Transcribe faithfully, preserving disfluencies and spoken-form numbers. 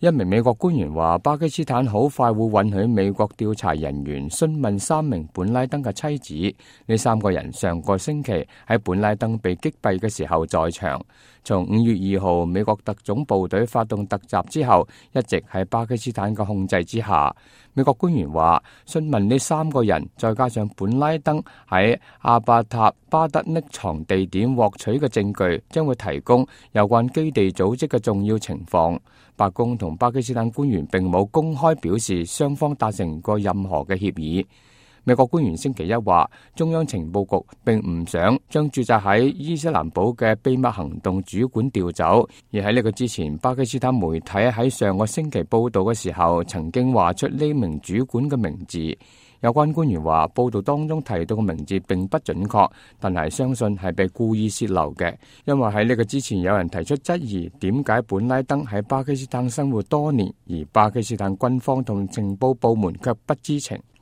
一名美國官員話，巴基斯坦好快會允許美國調查人員詢問三名本拉登嘅妻子。呢三個人上個星期喺本拉登被擊斃嘅時候在場。從五月二號美國特種部隊發動突襲之後，一直喺巴基斯坦嘅控制之下。美國官員話，詢問呢三個人，再加上本拉登喺阿巴塔巴德匿藏地點獲取嘅證據，將會提供有關基地組織嘅重要情況。白宮同巴基斯坦官員並冇公開表示雙方達成過任何嘅協議。美國官員星期一話，中央情報局並唔想將駐紮喺伊斯蘭堡嘅秘密行動主管調走，而喺呢個之前，巴基斯坦媒體喺上個星期報道嘅時候，曾經話出呢名主管嘅名字。有關官員話，報道當中提到嘅名字並不準確，但係相信係被故意洩漏嘅，因為喺呢個之前有人提出質疑，點解本拉登喺巴基斯坦生活多年，而巴基斯坦軍方同情報部門卻不知情。